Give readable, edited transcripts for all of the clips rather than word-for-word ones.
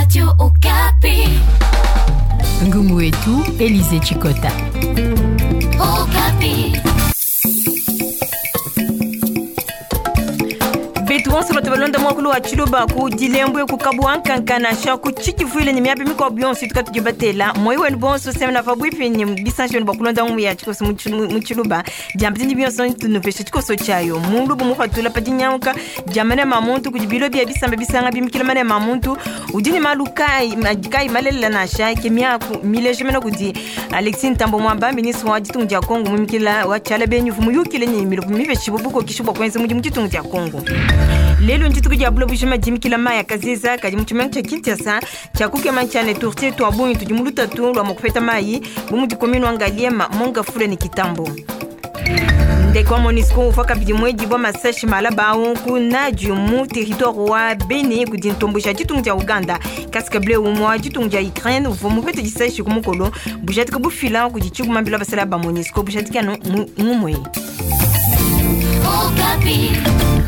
Radio Okapi. Ngumu wetu Elize Chikota. Okapi. Betu bonso bato balonda mwakulu wa tshiluba ku dilembwe ku kabuwa nkanka nansha ku tshikivuile ne miaba mikuabu yonso ituka tudi batela moyi wenu bonso semena pabuipi ne bisanji benu bua kulonda ngumu ya tshikoso mu tshiluba. Diamba dindi bionso ntunupesha tshikoso tshiayo mulubu mupatula pa dinyanguka dia manema a muntu kudi bilo bia bisamba bisanga bimikila manema a muntu udi ne malu kayi kayi malelela nansha ke miaku mileja mena kudi Alexis Ntambwe Mwamba, ministre wa ditunga dia Congo mumikila wa tshiala benyi uvua muyukile ne milopo mipeshibue bukokeshi bua kuenza mudimu ditunga dia Congo. Lelu ndituku dia buloba bujima dimikila mayi a kaziza kadi mu tshimenga tshia Kinshasa tshia kukema ntshia ne turtie tua bungi tudi mu lutatu lua mua kupeta mayi bu mudi commune wa Ngaliema, Mont-Ngafula ne Kitambo. Ndeke wa MONUSCO uvua kabidi muedibua masashi malaba au ku Nadi mu territoire wa Beni kudi ntomboji ya ditunga dia Uganda. Casque bleu umue wa ditunga dia Ukraine uvua mupete disashi ku mukolo bujadika bufila kudi tshigumambila basalayi ba MONUSCO bujadiki anu mu ngumue.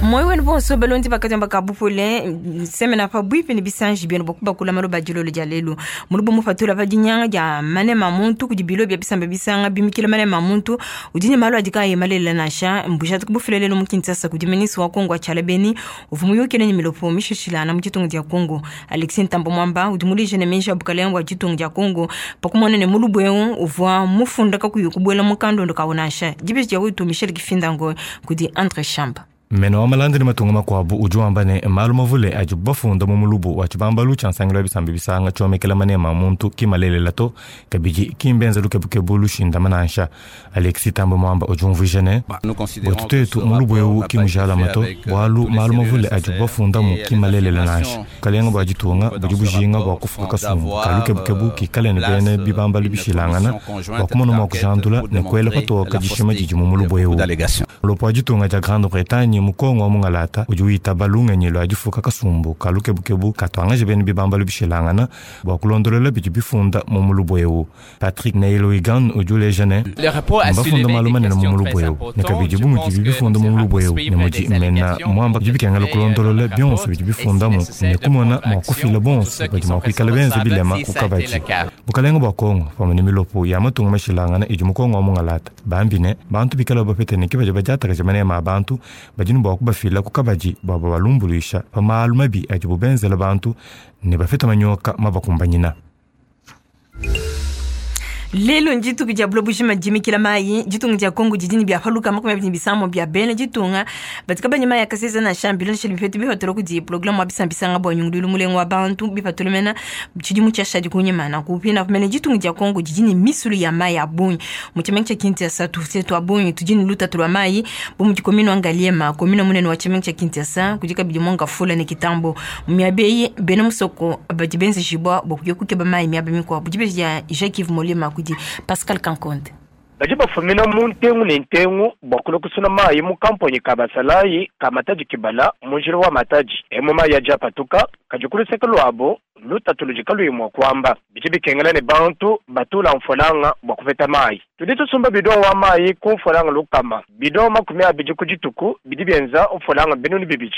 Moyo wenu bonso balondi bakadiamba ka bupole nsemena pabuipi ne bisanji bienu bua kubakula maloba dilolo dia lelu mulubu mupatula pa dinyanga dia manema muntu kudi bilo bia bisamba bisanga bimikila manema muntu udi ne malu adi kaayi malelela nansha mbujadiki bufila lelu mu Kinshasa kudi ministre wa Kongo wa tshiala beni uvua muyukile ne milopo mishishilana mu ditunga dia Kongo. Alexis Ntambwe Mwamba udi muleje ne meji a bukalenga bua ditunga dia Kongo pa kumona ne mulubu eu uvua mufunda kakuyi kubuela mu kandondo kawu nansha. Dibeji dia wetu Michel Kifindango kudi Andre Shamba. Mene wa malanda ne matunga makuabu udi wamba ne, malu mavule adibu bafunda mu mulubu wa tshibambalu tshia nsangilu wa bisamba bisanga tshiomekela manema a muntu ki malelela to, kabidi ki mbenza lukebukebu lushindama nansha. Alexis Thambwe Mwamba udi umvuija ne, Buetu tuetu, mulubu eu ki mujalama to, bualu malu mavule adibu bafundamu ki malelela nansha. Bukalenga bua ditunga budi bujinga bua kufuka kasumbu ka lukebukebu kikale ne bena bibambalu bishilangana bua kumona mua kujandula ne kuela patoka dishima didi mu mulubu eu. Mulopo wa ditunga dia Grande-Bretagne mu Congo wa mungalata udi witaba lungenyi lua difuka kasumbu ka lukebukebu katuangaje bena bibambalu bishilangana bua kulondolola bidi bifunda mu mulubu eu. Patrick Neil-Wigan udi uleja ne, Mbafunda malu manene mu mulubu eu, ne kabidi bu mudibi bifunda mu mulubu eu ne mudi mena muamba bidi bikengela kulondolola bionso bidi bifundamu ne kumona mua kufila bonso badi mua kuikala benza bilema ku kabadi. Bukalenga bua Congo pamue ne milopo ya matunga mashilangana idi mu Congo wa mungalata bambi ne, bantu bikala bapete ne ke badi badiatakaja manema a bantu badi ne bua kubafila ku kabadi bua babalumbuluisha pa malu mabi adibu benzela bantu ne bapeta manyoka mabakumbanyina. Lelu ndituku dia buloba bujima dimikila mayi. Ditunga dia Congo didi ne bia pa lukama 25 bia bena ditunga badi kabayi ne mayi a kaseza nansha mbilondeshile bipeta bipatula kudi programe wa bisambisanga bua nyunguluilu mulenga wa bantu bipatula mena tshidimu tshiashadi kunyima. Nanku pinapu mene ditunga dia Congo didi ne misulu ya mayi a bungi. Mu tshimenga tshia Kinshasa tuse tua bungi tudi ne lutatu lua mayi bu mudi commune wa Ngaliema, commune munene wa tshimenga tshia Kinshasa, kudi kabidi Mont-Ngafula ne Kitambo. Mu miaba eyi bena musoko badi benzejibua bua kuya kukeba mayi miaba mikuabu. Dibeji dia Jacques-Yves Molema kudi Pascal Kankonde. Badi bafumina mu ntengu ne ntengu bua kulua kusuna mayi mu kamponyi ka basalayi ka Matadi Kibala mu njila wa Matadi. Emu mayi adi apatuka, kadi ku luseke luabu lutatu ludi kaluyi mua kuamba. Bidi bikengela ne bantu batula mfualanga bua kupeta mayi. Tudi tusumba bidon wa mayi ku mfualanga 100, bidon 20 ku dituku bidi bienza mfualanga 2000.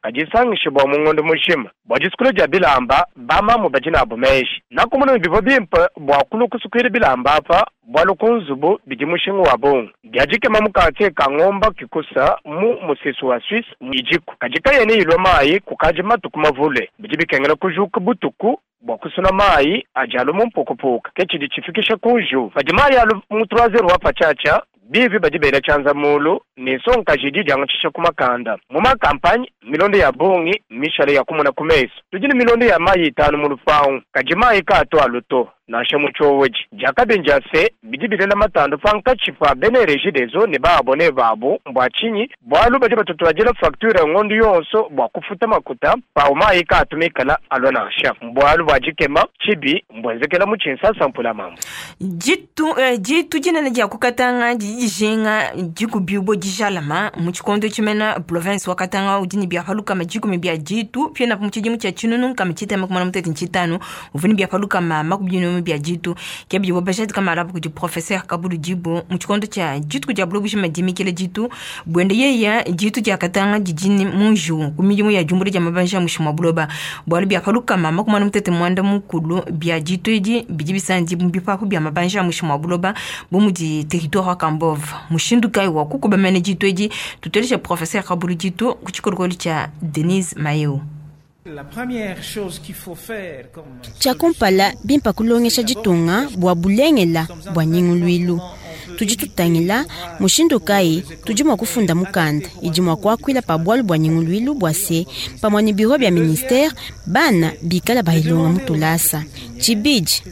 Kadi isangishe bua mu ngondo mujima. Bua disukula dia bilamba, bamamu badi nabu meji. Nakumona ne bivua bimpe bua kulua kusukuila bilamba apa, bualu ku nzubu bidi mushinga wa bungi. Bia dikema mu kartie ka Ngomba Kikusa mu musesu wa Suisse idiku, kadi kayena ilua mayi kukadi matuku mavule. Bidi bikengela kujuka butuku bua kusuna mayi adi alua mu mpukapuka, ke tshidi tshifikisha ku njiwu. Padi mayi alua mu 3 heures wa patshiatshia, bivi badi bela tshianza mulu ne nsongakaji idi idiangatshisha ku makanda. Mu ma-kampanye, milondo ya bungi mmishale ya kumona ku mesu. Tudi ne milondo ya mayi itanu mu lupangu, kadi mayi kaatu alu to, nansha mu tshiowedi. Diakabi ndia se, bidi bilela matandu pankatshi pa bena Regideso ne ba-abone babu. Mbua tshinyi? Bualu badi batutuadila fakture ngondu yonso bua kufuta makuta, pawu mayi kaatu mikala alua nansha. Mbualu bua dikema, tshibi mbuenzekela mu tshinsasa mpula-mambu. Ditu, eh, ditu dinene dia ku Katanga didi dijinga dikubibua dijalama mu tshikondo tshimena province wa Katanga udi ne bia pa 10 bia ditu pienapu mu tshidimu tshia 1865 uvua ne bia pa 250. binunu bia ditu. Ke bidibo bajadika malaba kudi professeur Kabulu Dibo mu tshikondo tshia dituku dia buloba bujima dimikila ditu buende yeya ditu dia Katanga didi mu njiwu ku midimu ya diumbula dia mabanji a muinshi mua buloba. Bualu bia pa lukama makumi anu mutete muanda mukulu bia ditu edi bidi bisandi mu bipapu bia mabanji a muinshi mua buloba bu mudi territoire wa Kambove. Mushindu kayi wa kukuba mene ditu edi? Tuteleje professeur Kabulu Ditu ku tshikolokolo tshia Denise Mayeu. Tshia kumpala, bimpa kulongesha ditunga bua bulengela bua nyinguluilu. Tudi tutangila mushindu kayi tudi mua kufunda mukanda idi mua kuakuila pa bualu bua nyinguluilu bua se pamue ne biro bia ministere bana bikala bayilonga mu tulasa. Tshibidi,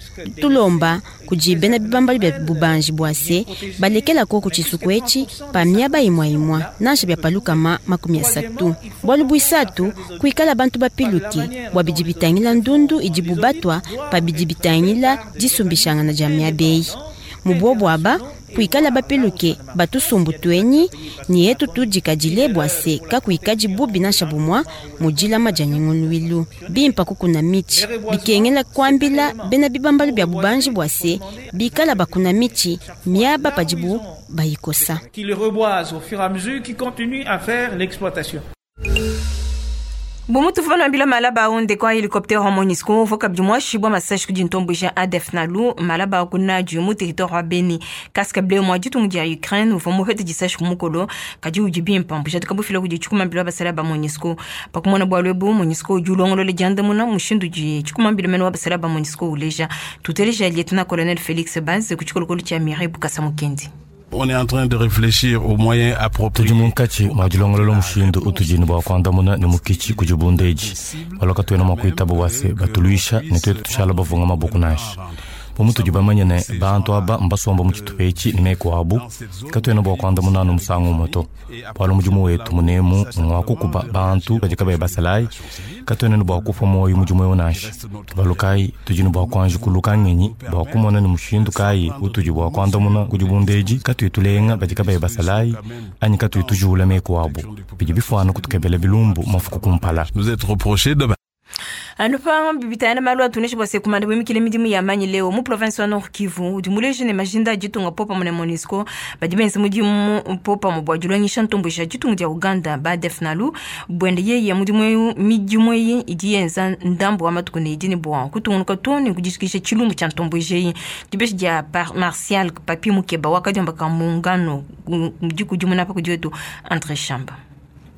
tulomba kudi bena bibambalu bia bubanji bua se balekela koku tshisuku etshi pa miaba imua imua nansha bia pa 30. Bualu buisatu, kuikala bantu bapiluke bua bidi bitangila ndundu idibu batua pa bidi bitangila disumbishangana dia miaba eyi. Mu buobu aba, kuikala bapiluke ba tusumbu tuenyi ne etu tudikadile bua se kakuikadi bubi nansha bumua mu dilama dia nyunguluilu. Bimpa kukuna mitshi, bikengela kuambila bena bibambalu bia bubanji bua se bikala bakuna mitshi miaba padibu bayikosa. Qu'ils reboisent au fur et à mesure qu'ils continuent à faire l'exploitation. Bu mutuvua nuambila malaba au ndeke wa helicoptere wa Monusco uvua kabidi muashibua masashi kudi ntomboji ADF Nalu malaba ku Nadiu mu territoire wa Beni. Casque bleu mua ditunga dia Ukraine uvua mupete disashi ku mukolo kadi udi bimpe bujadika bufila kudi tshikumambila basalayi ba Monusco. Pa kumona bualu ebu, Monusco udi ulongolola diandamuna mushindu udi tshikumambila mene wa basalayi ba Monusco uleja. Tuteleja Lieutenant Colonel Felix Baze ku tshikolokolo tshia Mireille Bukasa Mukendi. On est en train de réfléchir aux moyens appropriés. Tudi munkatshi mua dilongolola mushindu utudi ne bua kuandamuna ne mukitshi kudi bundeji. Bualu katuena mua kuitaba bua se batuluisha ne tuetu tushala bavunga maboko nansha. Bu mutudi bamanye ne, bantu aba mbasomba mu tshitupa etshi ne meku abu, katuena bua kuandamuna anu musangu umue to. Bualu mudimu wetu munemu ngua kukuba bantu badi kabayi basalayi, katuena ne bua kupua muoyo mudimu eu nansha. Bualu kayi tudi ne bua kuanji kuluka ngenyi bua kumona ne mushindu kayi utudi bua kuandamuna ku dibunda edi katuyi tulenga badi kabayi basalayi anyi katuyi tujuula meku abu. Bidi bifuana kutukebela bilumbu mafuku kumpala. Nous être reproché demain. Anu pa bibitayana malu atunesha bua se kumanda buimikile midimu ya manyi leo mu province wa Nord Kivu udi muleje ne majinda a ditunga popamue ne MONUSCO badi benza mudimu popamue bua dilongesha ntomboji ya ditunga dia Uganda ba ADF Nalu buende yeye mudimu eu midimu eyi idi yenza ndambu wa matuku ne idi ne bua kutungunuka too ne kudishikisha tshilumbu tshia ntomboji eyi. Dibeji dia Martial Papi Mukeba wakadiomba ka mungano dikudimuna pa kudi wetu Andre Shamba.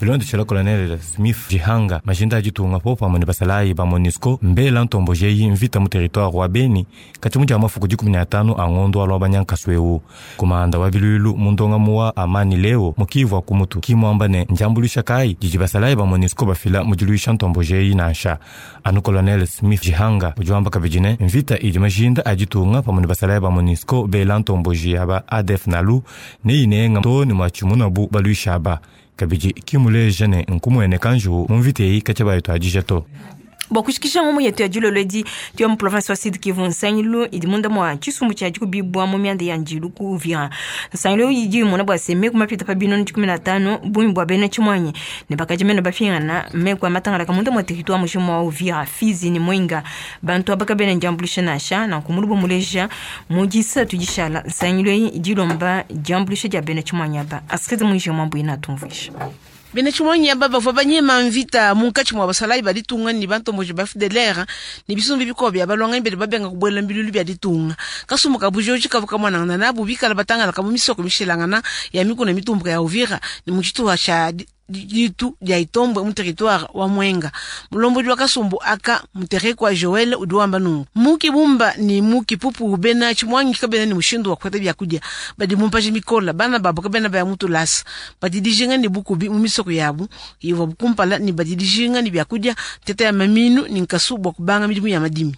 Bilondeshela Colonel Smith Jihanga, majinda a ditunga popamue ne basalayi ba MONUSCO mbela ntomboji eyi mvita mu territoire wa Beni katshia mu dia mafuku 15 a ngondo wa Luabanya-Nkasu eu. Kumanda wa biluilu mu ndongamu wa Amani Leo mu Kivu wa ku mutu ki muamba ne ndiambuluisha kayi didi basalayi ba MONUSCO bafila mu diluisha ntomboji eyi nansha. Anu Colonel Smith Jihanga udi wamba kabidi ne, mvita idi majinda a ditunga pamue ne basalayi ba MONUSCO bela ntomboji ya ba ADF Nalu neyinenga too ne muatshimunabu baluishi aba. Kabidi ki muleja ne nkumueneka njiwu mu mvita eyi katshia bayituadija to. Bua kushikisha ngumu yetu ya dilolo edi, tuya mu province wa Sud Kivu. Nsangilu idi munda mua tshisumbu tshia dikubibua mu mianda ya njilu ku Uvira. Nsangilu eyi idi imona bua se meku mapita pa 150 bungi bua bena tshimuanyi ne bakaji mene bapingana meku a matangalaka munda mua territoire mujima wa Uvira, Fizi ne Mwenga. Bantu aba kabena ndiambuluisha nansha nanku mulubu muleja mu disatu dishala. Nsangilu eyi idi ilomba diambuluisha dia bena tshimuanyi aba. Astrid Mwinji Mwambuina atumvuisha. Bena tshimuanyi aba bavua banyema mvita munkatshi mua basalayi ba ditunga ne bantomboji ba FDLR ne bisumbu bikuabu bia balwanganyi badi babenga kubuela mu bilulu bia ditunga. Kasumbu ka bujoji kavua kamuanangana nabu bikala batangalaka mu misoko mishilangana ya mikuna mitumbuka ya Uvira ne mu tshituha tshia ditu dia Itombwe mu territoire wa Mwenga. Mulombodi wa kasumbu aka Muterekwa Joel udi wamba nunku: mu Kibumba ne mu Kipupu bena tshimuangi kabena ne mushindu wa kupeta biakudia, badi mu mpaji mikola, bana babu kabena baya mu tulasa, badi dijinga ne bukubi mu misoko yabu ivuabu kumpala, ne badi dijinga ne biakudia, nteta ya maminu ne nkasu bua kubanga midimu ya madimi.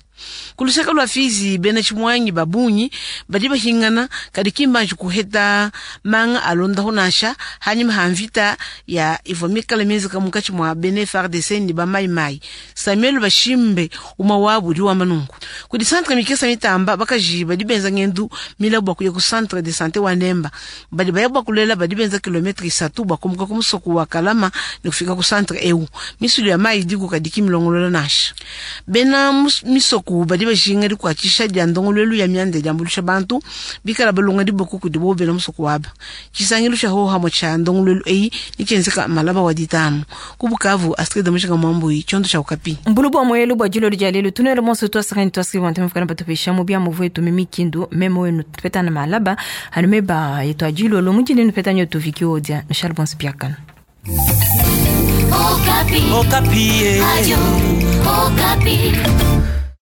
Ku luseke lua Fizi, bena tshimuangi ba bungi badi bahingana, kadi ki mbanji kuheta manga alondaho nansha hanyima ha mvita ya ivua mikale mienzeka munkatshi mua bena FARDC ne ba Mai Mai. Samuel Bashimbe umue wabu udi wamba nunku: kudi centre mikesa mitamba bakaji badi benza ngendu mila bua kuya ku centre de sante wa Nemba, badi baya bua kulela badi benza kilometre isatu bua kumuka ku musoko wa Kalama ne kufika ku centre eu. Misulu ya mayi idiku kadi ki milongolola nansha. Bena misoko Nanku badi bajinga dikuatshisha dia ndongoluelu ya mianda idi yambuluisha bantu bikala balonga diboko kudibo bena musoko waba. Tshisangilu tshia hohamue tshia ndongoluelu eyi netshienzeka malaba wa ditanu ku Bukavu. Astrid Mujinga Muambui, tshiondo tshia Okapi. Mbulu bua muelu bua dilolo dia lelu tunuele bonso tuasakani tuasaki bua ntema batupesha mu biamu vuetu mimikindu meme wenu tupetana malaba anu meba yetu adilolo mudile nupeta nyo tuviki odia nushale bonso biakana. Okapi. Okapi. Radio Okapi.